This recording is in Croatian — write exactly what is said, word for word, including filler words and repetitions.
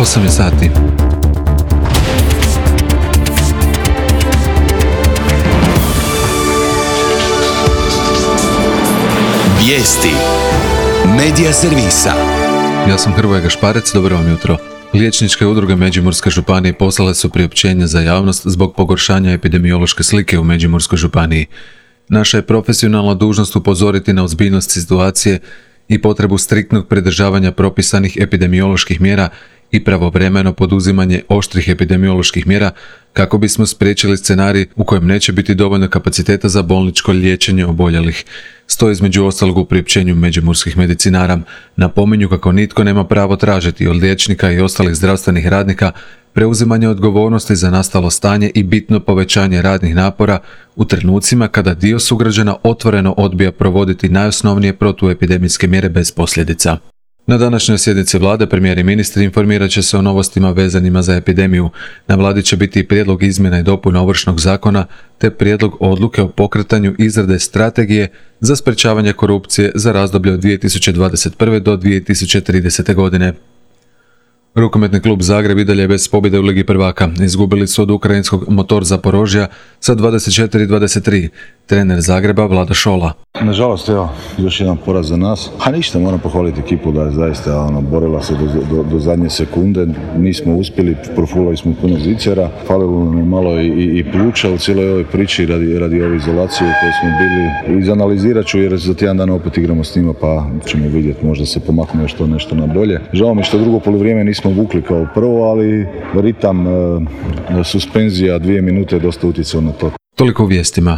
osam je sati. Vijesti Medija servisa. Ja sam Hrvoje Gašparec, dobro vam jutro. Liječničke udruge Međimurske županije poslale su priopćenje za javnost zbog pogoršanja epidemiološke slike u Međimurskoj županiji. Naša je profesionalna dužnost upozoriti na ozbiljnost situacije i potrebu striktnog pridržavanja propisanih epidemioloških mjera i pravovremeno poduzimanje oštrih epidemioloških mjera kako bismo spriječili scenarij u kojem neće biti dovoljno kapaciteta za bolničko liječenje oboljelih. Stoji između ostalog u priopćenju međimurskih medicinara. Napominju kako nitko nema pravo tražiti od liječnika i ostalih zdravstvenih radnika preuzimanje odgovornosti za nastalo stanje i bitno povećanje radnih napora u trenucima kada dio sugrađana otvoreno odbija provoditi najosnovnije protuepidemijske mjere bez posljedica. Na današnjoj sjednici vlade premijer i ministri informirat će se o novostima vezanima za epidemiju. Na vladi će biti i prijedlog izmjena i dopuna Ovršnog zakona te prijedlog odluke o pokretanju izrade strategije za sprečavanje korupcije za razdoblje od dvije tisuće dvadeset prve do dvije tisuće tridesete. godine. Rukometni klub Zagreb i dalje je bez pobjede u Ligi prvaka. Izgubili su od ukrajinskog Motor Zaporožja sa dvadeset četiri dvadeset tri. Trener Zagreba Vlada Šola. Nažalost, evo, još jedan poraz za nas. A ništa, moram pohvaliti ekipu da je zaista ono, borila se do, do, do zadnje sekunde. Nismo uspjeli, profulali smo puno zicara. Falilo nam je malo i, i, i pluća u cijeloj ovoj priči radi, radi ove izolacije u kojoj smo bili. Izanalizirat ću jer za tjedan dana opet igramo s njima pa ćemo vidjeti, možda se pomakne još to nešto na bolje. Žao mi što drugo poluvrijeme nismo vukli kao prvo, ali ritam, e, suspenzija dvije minute dosta utjecao na to. Toliko u vijestima.